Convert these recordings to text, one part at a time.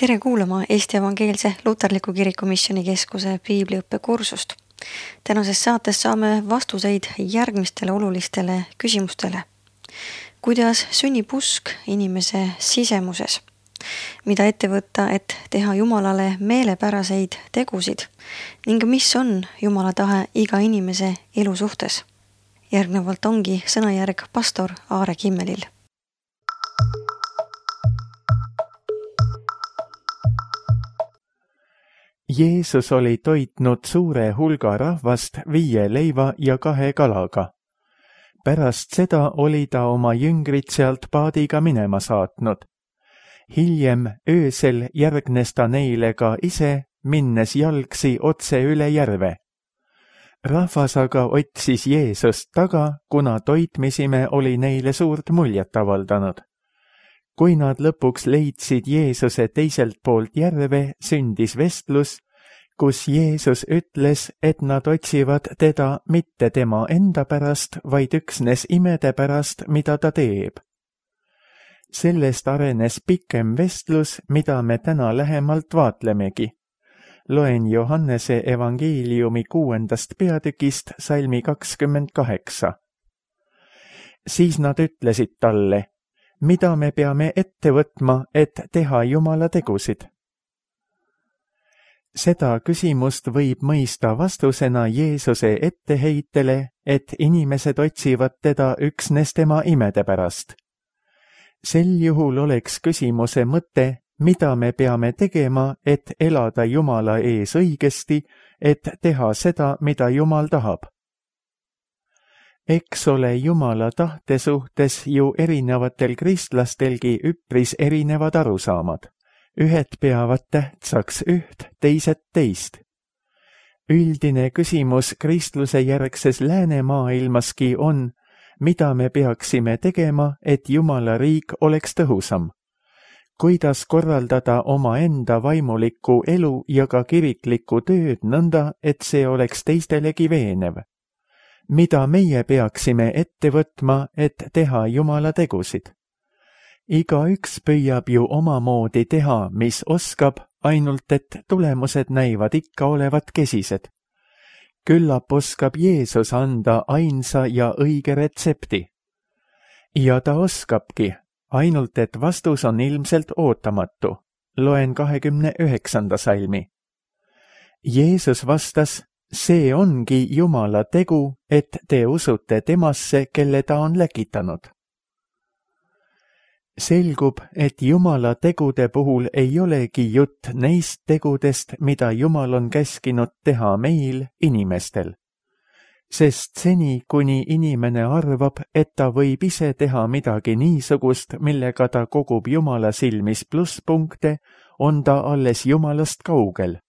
Tere kuulama Eesti Evangeelse Luterliku Kiriku Missionikeskuse piibliõppekursust. Tänases saates saame vastuseid järgmistele olulistele küsimustele. Kuidas sünnib usk inimese sisemuses? Mida ette võtta, et teha Jumalale meelepäraseid tegusid? Ning mis on Jumala tahe iga inimese elu suhtes? Järgnevalt ongi sõnajärg pastor Aare Kimmelil. Jeesus oli toitnud suure hulga rahvast 5 leiva ja 2 kalaga. Pärast seda oli ta oma jüngrid sealt paadiga minema saatnud. Hiljem öösel järgnes ta neile ka ise, minnes jalgsi otse üle järve. Rahvas aga otsis Jeesust taga, kuna toitmisime oli neile suurt muljet avaldanud. Kui nad lõpuks leidsid Jeesuse teiselt poolt järve, sündis vestlus, kus Jeesus ütles, et nad otsivad teda mitte tema enda pärast, vaid üksnes imede pärast, mida ta teeb. Sellest arenes pikem vestlus, mida me täna lähemalt vaatlemegi. Loen Johannese evangeeliumi 6. peatükist salmi 28. Siis nad ütlesid talle, mida me peame ette võtma, et teha Jumala tegusid? Seda küsimust võib mõista vastusena Jeesuse etteheitele, et inimesed otsivad teda üksnes tema imede pärast. Sel juhul oleks küsimuse mõte, mida me peame tegema, et elada Jumala ees õigesti, et teha seda, mida Jumal tahab. Eks ole Jumala tahte suhtes ju erinevatel kristlastelgi üpris erinevad arusaamad. Ühed peavad tähtsaks üht, teised teist. Üldine küsimus kristluse järgses läänemaailmaski on, mida me peaksime tegema, et Jumala riik oleks tõhusam. Kuidas korraldada omaenda vaimulikku elu ja ka kiriklikku tööd nõnda, et see oleks teistelegi veenev. Mida meie peaksime ette võtma, et teha Jumala tegusid? Igaüks püüab ju omamoodi teha, mis oskab, ainult et tulemused näivad ikka olevat kesised. Küllap oskab Jeesus anda ainsa ja õige retsepti. Ja ta oskabki, ainult et vastus on ilmselt ootamatu. Loen 29. salmi. Jeesus vastas, see ongi Jumala tegu, et te usute temasse, kelle ta on läkitanud. Selgub, et Jumala tegude puhul ei olegi jutt neist tegudest, mida Jumal on käskinud teha meil, inimestel. Sest seni, kuni inimene arvab, et ta võib ise teha midagi niisugust, millega ta kogub Jumala silmis plusspunkte, on ta alles Jumalast kaugel.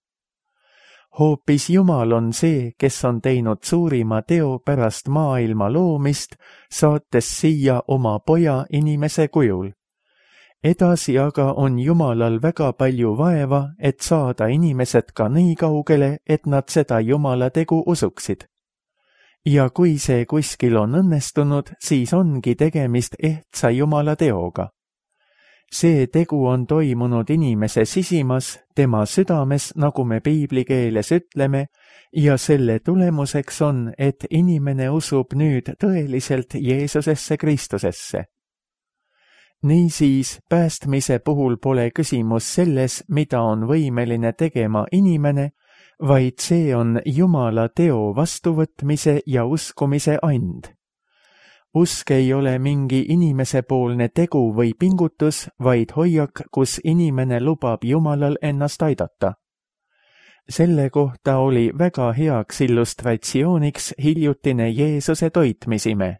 Hoopis Jumal on see, kes on teinud suurima teo pärast maailma loomist, saates siia oma poja inimese kujul. Edasi aga on Jumalal väga palju vaeva, et saada inimesed ka nii kaugele, et nad seda Jumala tegu usuksid. Ja kui see kuskil on õnnestunud, siis ongi tegemist ehtsa Jumala teoga. See tegu on toimunud inimese sisimas, tema südames, nagu me piibli keeles ütleme, ja selle tulemuseks on, et inimene usub nüüd tõeliselt Jeesusesse Kristusesse. Niisiis, päästmise puhul pole küsimus selles, mida on võimeline tegema inimene, vaid see on Jumala teo vastuvõtmise ja uskumise and. Usk ei ole mingi inimesepoolne tegu või pingutus, vaid hoiak, kus inimene lubab Jumalal ennast aidata. Selle kohta oli väga heaks illustratsiooniks hiljutine Jeesuse toitmisime.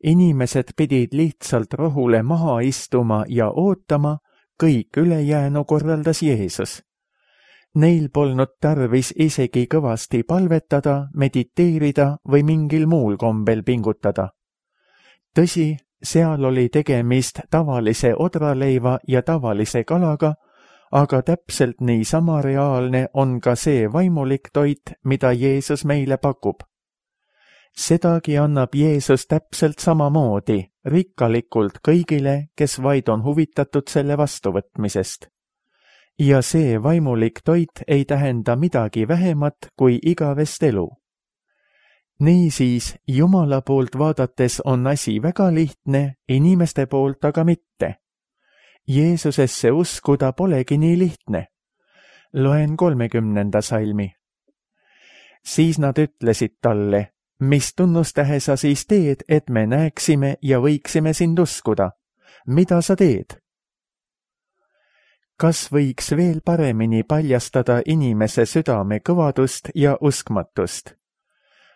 Inimesed pidid lihtsalt rohule maha istuma ja ootama, kõik ülejäänu korraldas Jeesus. Neil polnud tarvis isegi kõvasti palvetada, mediteerida või mingil muul kombel pingutada. Tõsi, seal oli tegemist tavalise odraleiva ja tavalise kalaga, aga täpselt niisama reaalne on ka see vaimulik toit, mida Jeesus meile pakub. Sedagi annab Jeesus täpselt samamoodi, rikkalikult kõigile, kes vaid on huvitatud selle vastuvõtmisest. ja see vaimulik toit ei tähenda midagi vähemat kui igavest elu. Niisiis, Jumala poolt vaadates on asi väga lihtne, inimeste poolt aga mitte. Jeesusesse uskuda polegi nii lihtne. Loen 30. salmi. Siis nad ütlesid talle, mis tunnustähe sa siis teed, et me näeksime ja võiksime sind uskuda? Mida sa teed? Kas võiks veel paremini paljastada inimese südame kõvadust ja uskmatust?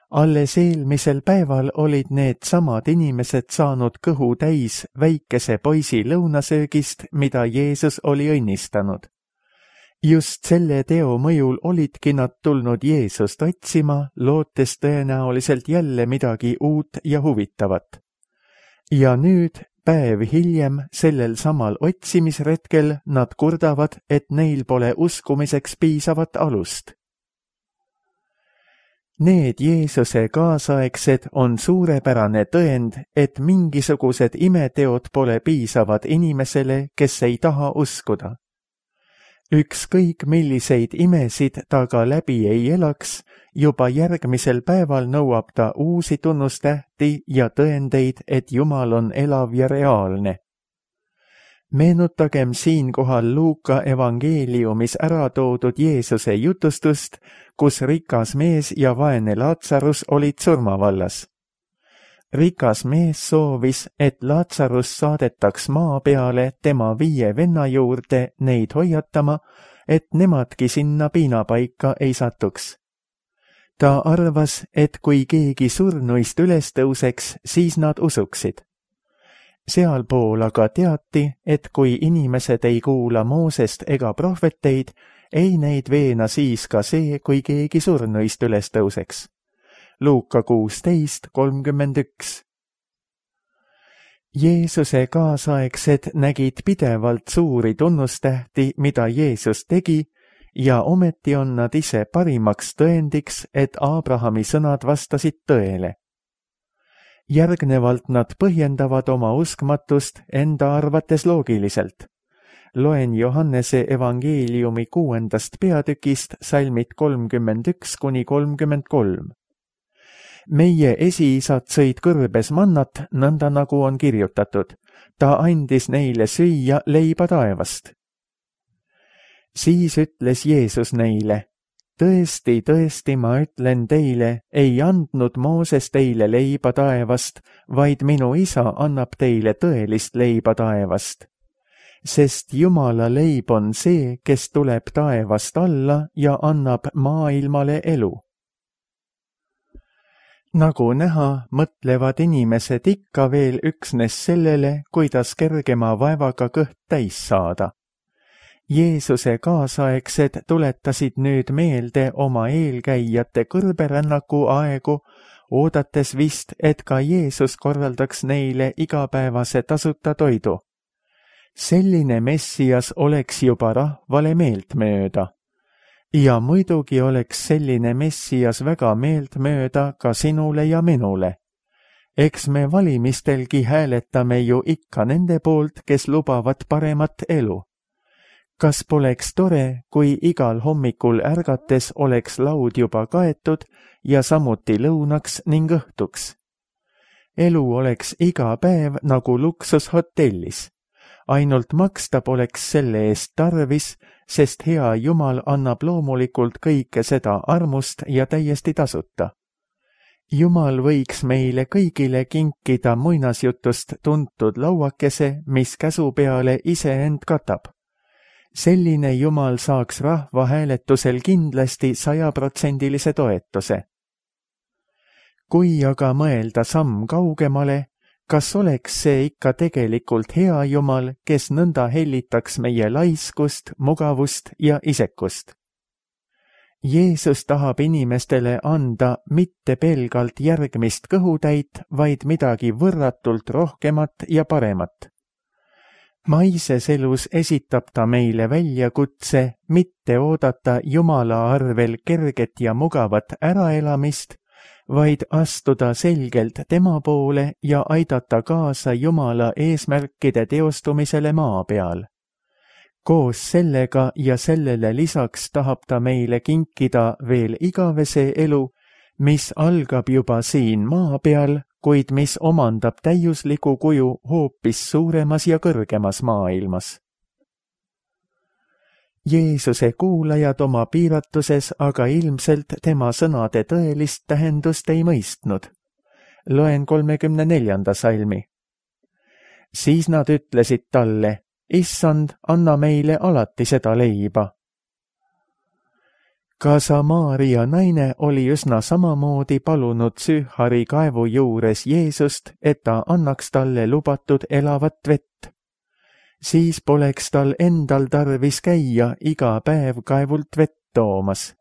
Alles eelmisel päeval olid need samad inimesed saanud kõhu täis väikese poisi lõunasöögist, mida Jeesus oli õnnistanud. Just selle teo mõjul olidki nad tulnud Jeesust otsima, lootes tõenäoliselt jälle midagi uut ja huvitavat. Ja nüüd, päev hiljem, sellel samal otsimisretkel nad kurdavad, et neil pole uskumiseks piisavat alust. Need Jeesuse kaasaegsed on suurepärane tõend, et mingisugused imeteod pole piisavad inimesele, kes ei taha uskuda. Ükskõik milliseid imesid ta ka läbi ei elaks, juba järgmisel päeval nõuab ta uusi tunnustähti ja tõendeid, et Jumal on elav ja reaalne. Meenutagem siinkohal Luuka evangeeliumis ära toodud Jeesuse jutustust, kus rikas mees ja vaene Laatsarus olid surmavallas. Rikas mees soovis, et Laatsarus saadetaks maa peale tema 5 venna juurde neid hoiatama, et nemadki sinna piinapaika ei satuks. Ta arvas, et kui keegi surnuist üles tõuseks, siis nad usuksid. Sealpool aga teati, et kui inimesed ei kuula Moosest ega prohveteid, ei neid veena siis ka see, kui keegi surnuist üles tõuseks. Luuka 16:31. Jeesuse kaasaegsed nägid pidevalt suuri tunnustähti, mida Jeesus tegi, ja ometi on nad ise parimaks tõendiks, et Abrahami sõnad vastasid tõele. Järgnevalt nad põhjendavad oma uskmatust enda arvates loogiliselt. Loen Johannese evangeeliumi 6. peatükist salmid 31–33. Meie esiisad sõid kõrbes mannat, nõnda nagu on kirjutatud. Ta andis neile süüa leiba taevast. Siis ütles Jeesus neile, tõesti, tõesti, ma ütlen teile, ei andnud Mooses teile leiba taevast, vaid minu isa annab teile tõelist leiba taevast. Sest Jumala leib on see, kes tuleb taevast alla ja annab maailmale elu. Nagu näha, mõtlevad inimesed ikka veel üksnes sellele, kuidas kergema vaevaga kõht täis saada. Jeesuse kaasaegsed tuletasid nüüd meelde oma eelkäijate kõrberännaku aegu, oodates vist, et ka Jeesus korraldaks neile igapäevase tasuta toidu. Selline Messias oleks juba rahvale meeltmööda. Ja muidugi oleks selline Messias väga meeltmööda ka sinule ja minule. Eks me valimistelgi hääletame ju ikka nende poolt, kes lubavad paremat elu. Kas poleks tore, kui igal hommikul ärgates oleks laud juba kaetud ja samuti lõunaks ning õhtuks? Elu oleks iga päev nagu luksushotellis. Ainult maksta poleks selle eest tarvis, sest hea Jumal annab loomulikult kõike seda armust ja täiesti tasuta. Jumal võiks meile kõigile kinkida muinasjutust tuntud lauakese, mis käsu peale iseend katab. Selline Jumal saaks rahvahääletusel kindlasti 100% toetuse. Kui aga mõelda samm kaugemale, kas oleks see ikka tegelikult hea Jumal, kes nõnda hellitaks meie laiskust, mugavust ja isekust? Jeesus tahab inimestele anda mitte pelgalt järgmist kõhutäit, vaid midagi võrratult rohkemat ja paremat. Maises elus esitab ta meile väljakutse mitte oodata Jumala arvel kerget ja mugavat äraelamist, vaid astuda selgelt tema poole ja aidata kaasa Jumala eesmärkide teostumisele maa peal. Koos sellega ja sellele lisaks tahab ta meile kinkida veel igavese elu, mis algab juba siin maa peal, kuid mis omandab täiusliku kuju hoopis suuremas ja kõrgemas maailmas. Jeesuse kuulajad oma piiratuses aga ilmselt tema sõnade tõelist tähendust ei mõistnud. Loen 34. salmi. Siis nad ütlesid talle, Issand, anna meile alati seda leiba. Ka Samaaria naine oli üsna samamoodi palunud Süühari kaevu juures Jeesust, et ta annaks talle lubatud elavat vett. Siis poleks tal endal tarvis käia iga päev kaevult vett toomas.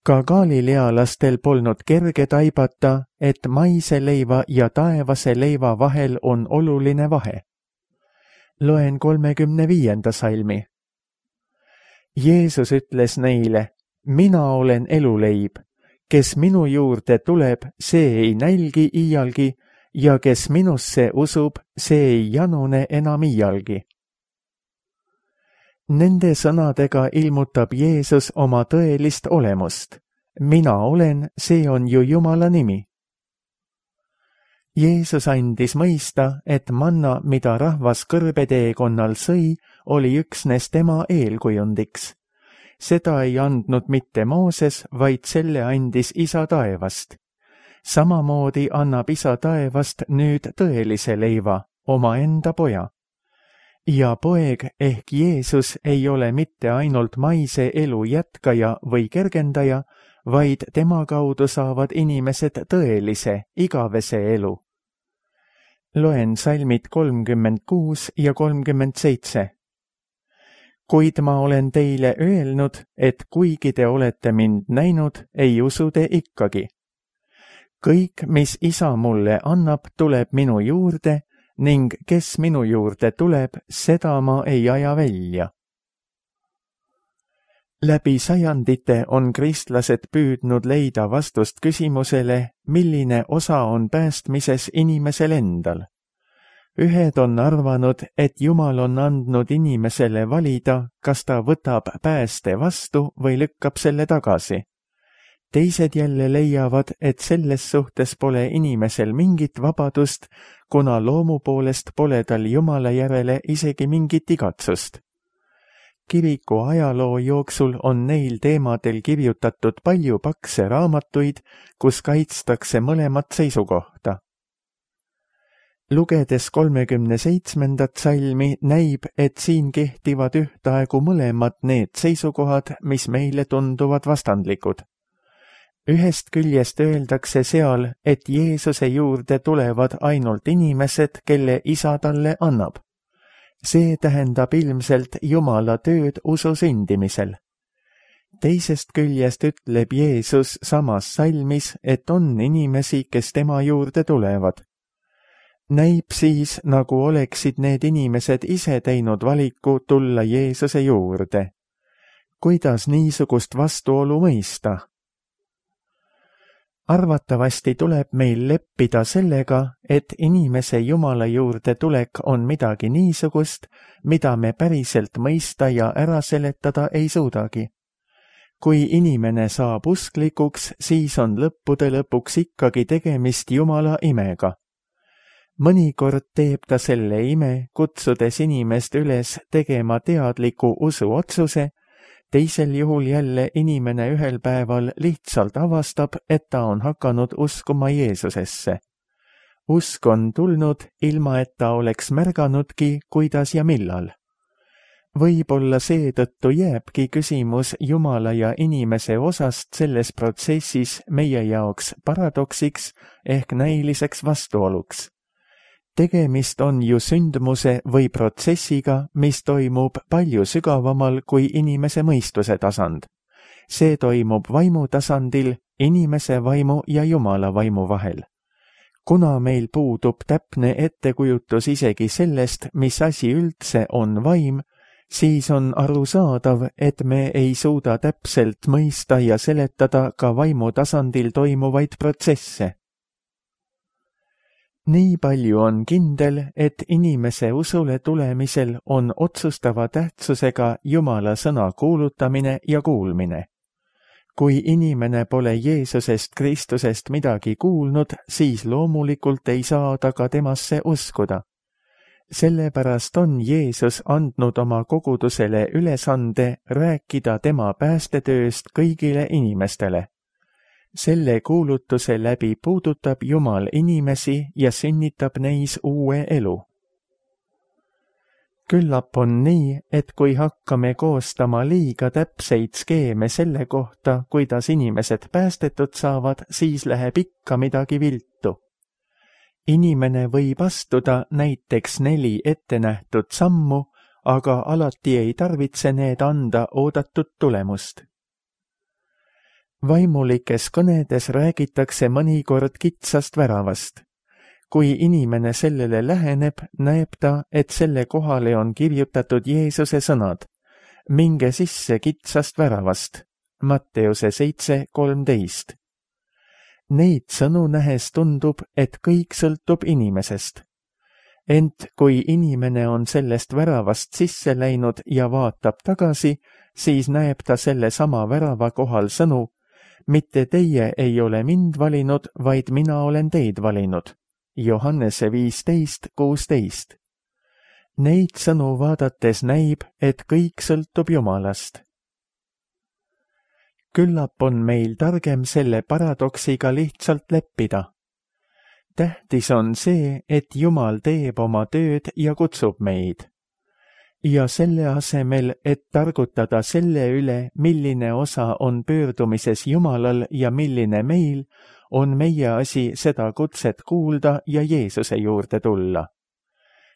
Ka galilealastel polnud kerge taibata, et maise leiva ja taevase leiva vahel on oluline vahe. Loen 35. salmi. Jeesus ütles neile, mina olen eluleib, kes minu juurde tuleb, see ei nälgi iialgi, ja kes minusse usub, see ei janune enam iialgi. Nende sõnadega ilmutab Jeesus oma tõelist olemust. Mina olen, see on ju Jumala nimi. Jeesus andis mõista, et manna, mida rahvas kõrbeteekonnal sõi, oli üksnes tema eelkujundiks. Seda ei andnud mitte Mooses, vaid selle andis Isa taevast. Samamoodi annab Isa taevast nüüd tõelise leiva, omaenda poja. Ja poeg ehk Jeesus ei ole mitte ainult maise elu jätkaja või kergendaja, vaid tema kaudu saavad inimesed tõelise, igavese elu. Loen salmid 36 ja 37. Kuid ma olen teile öelnud, et kuigi te olete mind näinud, ei usu te ikkagi. Kõik, mis Isa mulle annab, tuleb minu juurde ning kes minu juurde tuleb, seda ma ei aja välja. Läbi sajandite on kristlased püüdnud leida vastust küsimusele, milline osa on päästmises inimesel endal. Ühed on arvanud, et Jumal on andnud inimesele valida, kas ta võtab pääste vastu või lükkab selle tagasi. Teised jälle leiavad, et selles suhtes pole inimesel mingit vabadust, kuna loomu poolest pole tal Jumala järele isegi mingit igatsust. Kiriku ajaloo jooksul on neil teemadel kirjutatud palju pakse raamatuid, kus kaitstakse mõlemat seisukohta. Lugedes 37. salmi näib, et siin kehtivad ühtaegu mõlemad need seisukohad, mis meile tunduvad vastandlikud. Ühest küljest öeldakse seal, et Jeesuse juurde tulevad ainult inimesed, kelle Isa talle annab. See tähendab ilmselt Jumala tööd usu sündimisel. Teisest küljest ütleb Jeesus samas salmis, et on inimesi, kes tema juurde tulevad. Näib siis, nagu oleksid need inimesed ise teinud valiku tulla Jeesuse juurde. Kuidas niisugust vastuolu mõista? Arvatavasti tuleb meil leppida sellega, et inimese Jumala juurde tulek on midagi niisugust, mida me päriselt mõista ja ära seletada ei suudagi. Kui inimene saab usklikuks, siis on lõppude lõpuks ikkagi tegemist Jumala imega. Mõnikord teeb ta selle ime, kutsudes inimest üles tegema teadliku usuotsuse, teisel juhul jälle inimene ühel päeval lihtsalt avastab, et ta on hakanud uskuma Jeesusesse. Usk on tulnud, ilma et ta oleks märganudki, kuidas ja millal. Võib-olla seetõttu jääbki küsimus Jumala ja inimese osast selles protsessis meie jaoks paradoksiks ehk näiliseks vastuoluks. Tegemist on ju sündmuse või protsessiga, mis toimub palju sügavamal kui inimese mõistuse tasand. See toimub vaimu tasandil, inimese vaimu ja Jumala vaimu vahel. Kuna meil puudub täpne ettekujutus isegi sellest, mis asi üldse on vaim, siis on arusaadav, et me ei suuda täpselt mõista ja seletada ka vaimu tasandil toimuvaid protsesse. nii palju on kindel, et inimese usule tulemisel on otsustava tähtsusega Jumala sõna kuulutamine ja kuulmine. Kui inimene pole Jeesusest Kristusest midagi kuulnud, siis loomulikult ei saa ta ka temasse uskuda. Sellepärast on Jeesus andnud oma kogudusele ülesande rääkida tema päästetööst kõigile inimestele. Selle kuulutuse läbi puudutab Jumal inimesi ja sünnitab neis uue elu. Küllap on nii, et kui hakkame koostama liiga täpseid skeeme selle kohta, kuidas inimesed päästetud saavad, siis läheb ikka midagi viltu. Inimene võib astuda näiteks 4 ettenähtud sammu, aga alati ei tarvitse need anda oodatud tulemust. Vaimulikes kõnedes räägitakse mõnikord kitsast väravast. Kui inimene sellele läheneb, näeb ta, et selle kohale on kirjutatud Jeesuse sõnad. Minge sisse kitsast väravast. Matteuse 7:13. Neid sõnu nähes tundub, et kõik sõltub inimesest. Ent kui inimene on sellest väravast sisse läinud ja vaatab tagasi, siis näeb ta selle sama värava kohal sõnu: mitte teie ei ole mind valinud, vaid mina olen teid valinud. Johannese 15:16. Neid sõnu vaadates näib, et kõik sõltub Jumalast. Küllap on meil targem selle paradoksiga lihtsalt leppida. Tähtis on see, et Jumal teeb oma tööd ja kutsub meid. Ja selle asemel, et targutada selle üle, milline osa on pöördumises Jumalal ja milline meil, on meie asi seda kutset kuulda ja Jeesuse juurde tulla.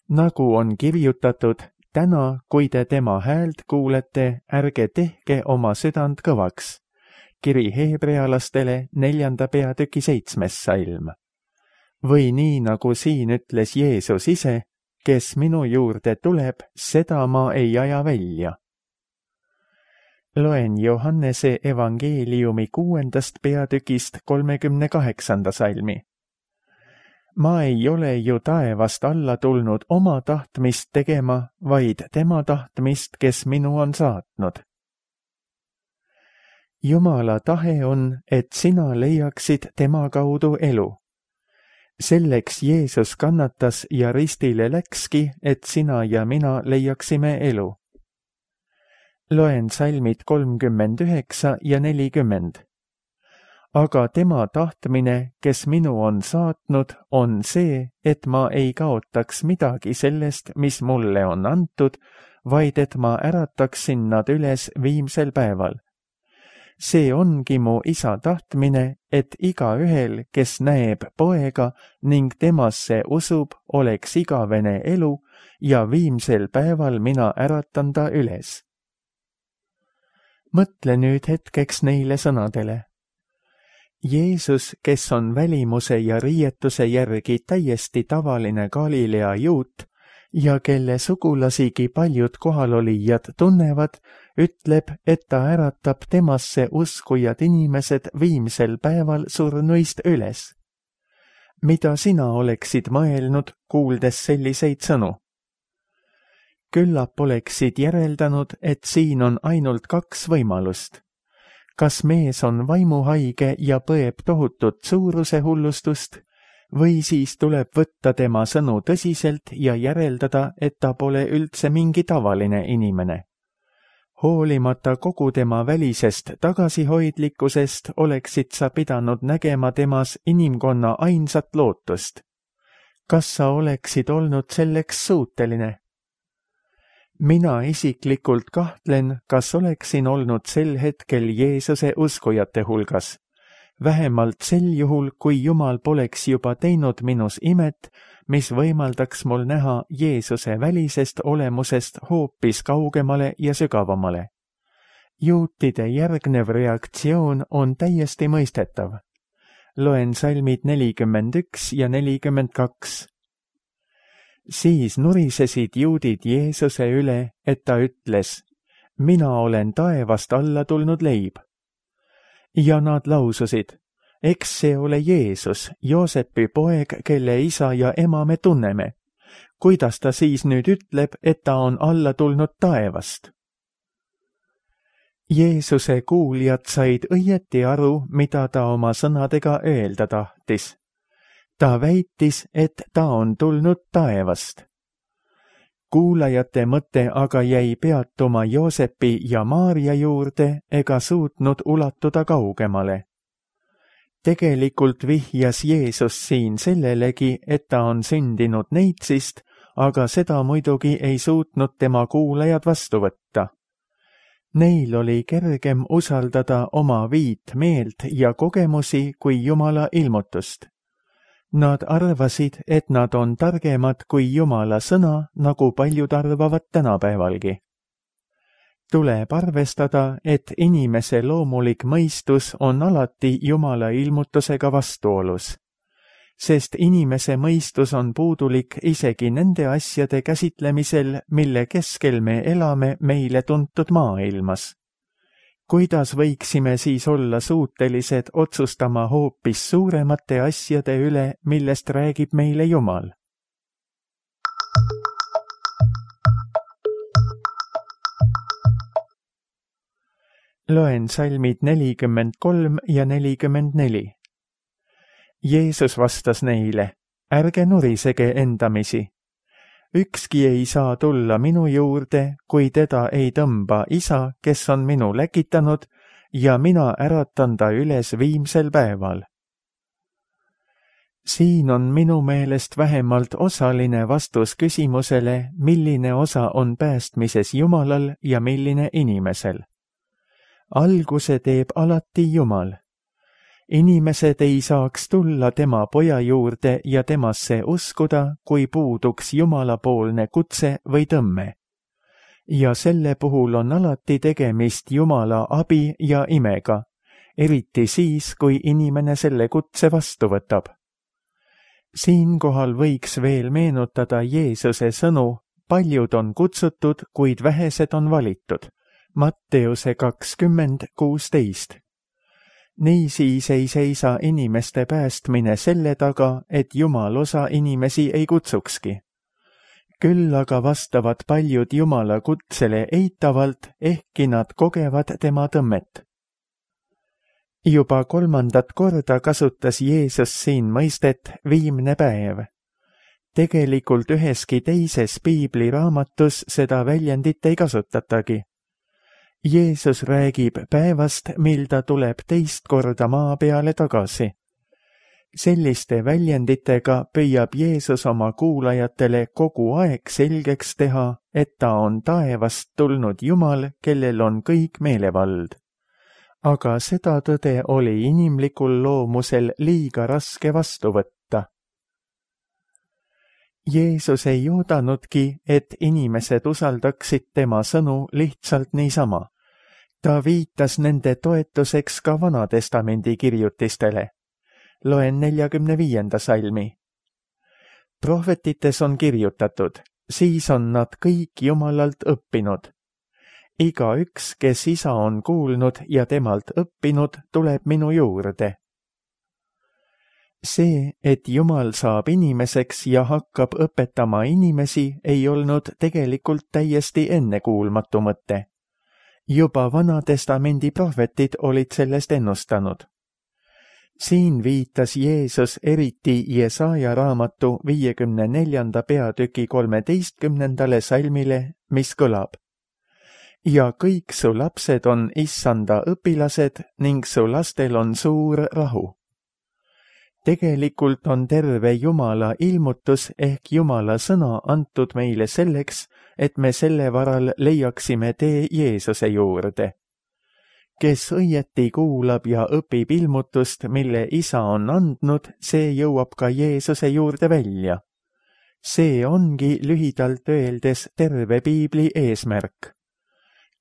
Nagu on kirjutatud, täna, kui te tema häält kuulete, ärge tehke oma südant kõvaks. Kiri Heebrealastele 4. peatüki 7. salm. Või nii, nagu siin ütles Jeesus ise: kes minu juurde tuleb, seda ma ei aja välja. Loen Johannese evangeeliumi 6. peatükist 38. salmi. Ma ei ole ju taevast alla tulnud oma tahtmist tegema, vaid tema tahtmist, kes minu on saatnud. Jumala tahe on, et sina leiaksid tema kaudu elu. Selleks Jeesus kannatas ja ristile läkski, et sina ja mina leiaksime elu. Loen salmid 39 ja 40. Aga tema tahtmine, kes minu on saatnud, on see, et ma ei kaotaks midagi sellest, mis mulle on antud, vaid et ma ärataksin nad üles viimsel päeval. See ongi mu isa tahtmine, et igaühel, kes näeb poega ning temasse usub, oleks igavene elu ja viimsel päeval mina äratan ta üles. Mõtle nüüd hetkeks neile sõnadele. Jeesus, kes on välimuse ja riietuse järgi täiesti tavaline Galilea juut ja kelle sugulasigi paljud kohalolijad tunnevad, ütleb, et ta äratab temasse uskujad inimesed viimsel päeval surnuist üles. Mida sina oleksid mõelnud, kuuldes selliseid sõnu? Küllap oleksid järeldanud, et siin on ainult 2 võimalust. Kas mees on vaimuhaige ja põeb tohutut suuruse hullustust, või siis tuleb võtta tema sõnu tõsiselt ja järeldada, et ta pole üldse mingi tavaline inimene. Hoolimata kogu tema välisest tagasihoidlikkusest oleksid sa pidanud nägema temas inimkonna ainsat lootust. Kas sa oleksid olnud selleks suuteline? Mina isiklikult kahtlen, kas oleksin olnud sel hetkel Jeesuse uskujate hulgas. Vähemalt sel juhul, kui Jumal poleks juba teinud minus imet, mis võimaldaks mul näha Jeesuse välisest olemusest hoopis kaugemale ja sügavamale. Juutide järgnev reaktsioon on täiesti mõistetav. Loen salmid 41 ja 42. Siis nurisesid juudid Jeesuse üle, et ta ütles: mina olen taevast alla tulnud leib. Ja nad laususid: eks see ole Jeesus, Joosepi poeg, kelle isa ja ema me tunneme. Kuidas ta siis nüüd ütleb, et ta on alla tulnud taevast? Jeesuse kuuljad said õieti aru, mida ta oma sõnadega öelda tahtis. Ta väitis, et ta on tulnud taevast. Kuulajate mõte aga jäi peatuma Joosepi ja Maarja juurde ega suutnud ulatuda kaugemale. Tegelikult vihjas Jeesus siin sellelegi, et ta on sündinud neitsist, aga seda muidugi ei suutnud tema kuulajad vastu võtta. Neil oli kergem usaldada oma viit meelt ja kogemusi kui Jumala ilmutust. Nad arvasid, et nad on targemad kui Jumala sõna, nagu paljud arvavad tänapäevalgi. Tuleb arvestada, et inimese loomulik mõistus on alati Jumala ilmutusega vastuolus, sest inimese mõistus on puudulik isegi nende asjade käsitlemisel, mille keskel me elame meile tuntud maailmas. Kuidas võiksime siis olla suutelised otsustama hoopis suuremate asjade üle, millest räägib meile Jumal? Loen salmid 43 ja 44. Jeesus vastas neile, ärge nurisege endamisi. Ükski ei saa tulla minu juurde, kui teda ei tõmba isa, kes on minu läkitanud, ja mina äratan ta üles viimsel päeval. Siin on minu meelest vähemalt osaline vastus küsimusele, milline osa on päästmises Jumalal ja milline inimesel. Alguse teeb alati Jumal. Inimesed ei saaks tulla tema poja juurde ja temasse uskuda, kui puuduks Jumalapoolne kutse või tõmme. Ja selle puhul on alati tegemist Jumala abi ja imega, eriti siis, kui inimene selle kutse vastu võtab. Siinkohal võiks veel meenutada Jeesuse sõnu, paljud on kutsutud, kuid vähesed on valitud. Matteuse 20:16. Niisiis ei seisa inimeste päästmine selle taga, et Jumal osa inimesi ei kutsukski. Küll aga vastavad paljud Jumala kutsele eitavalt, ehkki nad kogevad tema tõmmet. Juba 3. korda kasutas Jeesus siin mõistet viimne päev. Tegelikult üheski teises piibliraamatus seda väljendit ei kasutatagi. Jeesus räägib päevast, mil ta tuleb teist korda maa peale tagasi. Selliste väljenditega püüab Jeesus oma kuulajatele kogu aeg selgeks teha, et ta on taevast tulnud Jumal, kellel on kõik meelevald. Aga seda tõde oli inimlikul loomusel liiga raske vastu võtta. Jeesus ei oodanudki, et inimesed usaldaksid tema sõnu lihtsalt niisama. Ta viitas nende toetuseks ka Vanatestamendi kirjutistele. Loen 45. salmi. Prohvetites on kirjutatud, siis on nad kõik Jumalalt õppinud. Igaüks, kes isa on kuulnud ja temalt õppinud, tuleb minu juurde. See, et Jumal saab inimeseks ja hakkab õpetama inimesi, ei olnud tegelikult täiesti ennekuulmatu mõte. Juba Vanatestamendi prohvetid olid sellest ennustanud. Siin viitas Jeesus eriti Jesaja raamatu 54. peatüki 13. salmile, mis kõlab. Ja kõik su lapsed on Issanda õpilased ning su lastel on suur rahu. Tegelikult on terve Jumala ilmutus ehk Jumala sõna antud meile selleks, et me selle varal leiaksime tee Jeesuse juurde. Kes õieti kuulab ja õpib ilmutust, mille isa on andnud, see jõuab ka Jeesuse juurde välja. See ongi lühidalt öeldes terve piibli eesmärk.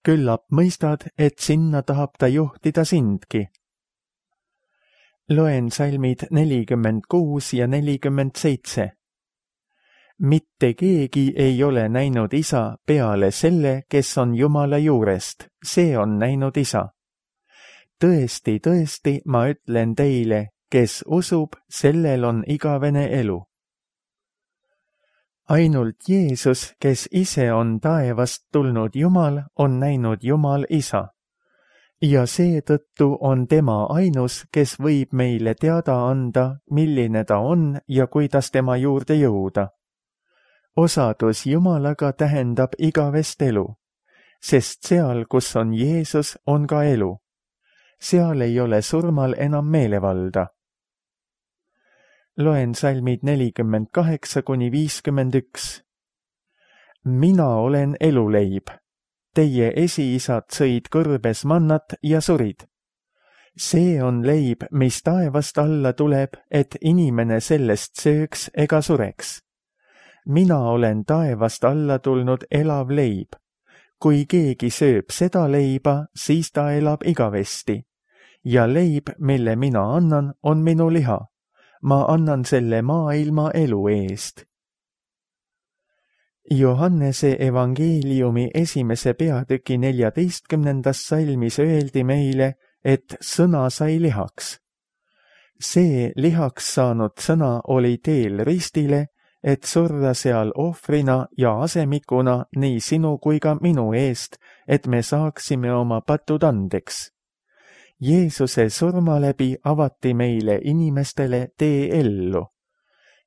Küllap mõistad, et sinna tahab ta juhtida sindki. Loen salmid 46 ja 47. Mitte keegi ei ole näinud isa peale selle, kes on Jumala juurest, see on näinud isa. tõesti, tõesti, ma ütlen teile, kes usub, sellel on igavene elu. Ainult Jeesus, kes ise on taevast tulnud Jumal, on näinud Jumal Isa. Ja seetõttu on tema ainus, kes võib meile teada anda, milline ta on ja kuidas tema juurde jõuda. Osadus Jumalaga tähendab igavest elu, sest seal, kus on Jeesus, on ka elu. Seal ei ole surmal enam meelevalda. Loen salmid 48–51. Mina olen eluleib. Teie esiisad sõid kõrbes mannat ja surid. See on leib, mis taevast alla tuleb, et inimene sellest sööks ega sureks. Mina olen taevast alla tulnud elav leib. Kui keegi sööb seda leiba, siis ta elab igavesti. Ja leib, mille mina annan, on minu liha. Ma annan selle maailma elu eest. Johannese evangeeliumi 1. peatüki 14. salmis öeldi meile, et sõna sai lihaks. See lihaks saanud sõna oli teel ristile, et surra seal ohvrina ja asemikuna nii sinu kui ka minu eest, et me saaksime oma patud andeks. Jeesuse surma läbi avati meile inimestele tee ellu.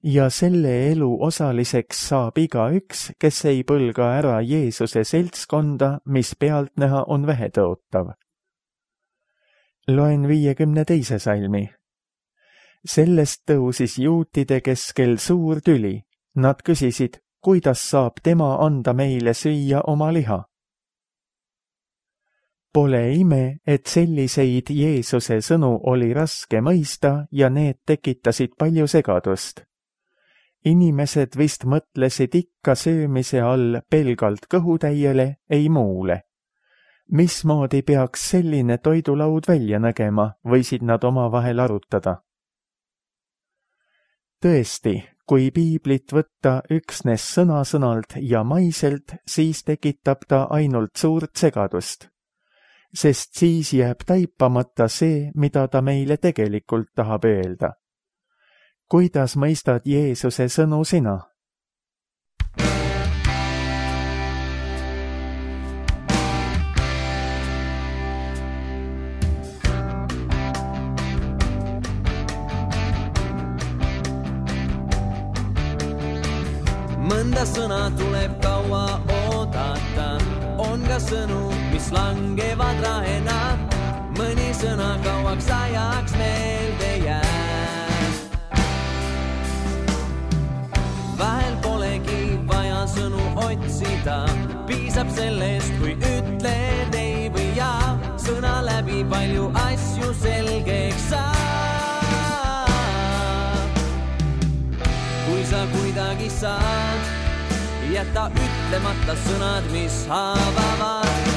Ja selle elu osaliseks saab igaüks, kes ei põlga ära Jeesuse seltskonda, mis pealtnäha on vähetõotav. Loen 52. salmi. Sellest tõusis juutide keskel suur tüli. Nad küsisid, kuidas saab tema anda meile süüa oma liha. Pole ime, et selliseid Jeesuse sõnu oli raske mõista ja need tekitasid palju segadust. Inimesed vist mõtlesid ikka söömise all pelgalt kõhutäiele, ei muule. Mismoodi peaks selline toidulaud välja nägema, võisid nad omavahel arutada. Tõesti, kui piiblit võtta üksnes sõna-sõnalt ja maiselt, siis tekitab ta ainult suurt segadust. Sest siis jääb taipamata see, mida ta meile tegelikult tahab öelda. Kuidas mõistad Jeesuse sõnu sina? Mõnda sõna tuleb kaua oodata, on ka sõnu, mis langevad rahena, mõni sõna kauaks ajaks meelde jääb. Vahel polegi vaja sõnu otsida, piisab sellest, kui ütled ei või jaa, sõna läbi palju asju selgeks saab. Kui sa kuidagi saad, jäta ütlemata sõnad, mis haavavad.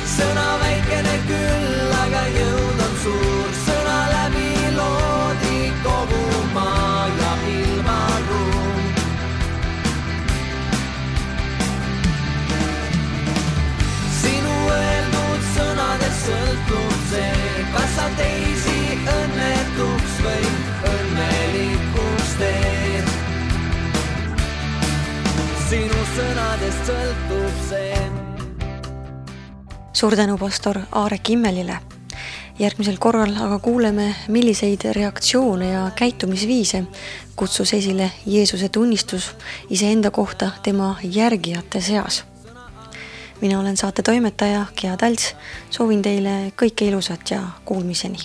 Sõna väikene küll, aga jõud on suur, sõna läbi loodi kogu maa ja ilmaruum. Sinu öeldud sõnadest sõltub see, kas sa teisi õnnetuks või õnnelikuks teed. Sinu sõnadest sõltub see. Suur tänu pastor Aarek Immelile. Järgmisel korral aga kuuleme, milliseid reaktsioone ja käitumisviise kutsus esile Jeesuse tunnistus iseenda kohta tema järgijate seas. Mina olen saate toimetaja Gea Talts, soovin teile kõike ilusat ja kuulmiseni.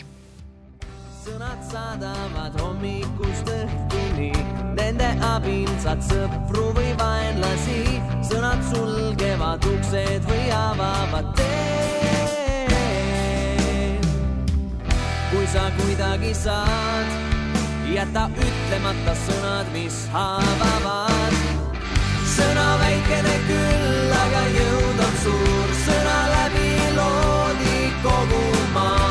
Sõnad saadavad hommikust õhtuni, nende abil saad sõpru või vaenlasi, sõnad sulgevad uksed või avavad teed. Kui sa kuidagi saad, jäta ütlemata sõnad, mis haavavad. Sõna väikene küll, aga jõud on suur, sõna läbi loodi kogu maa.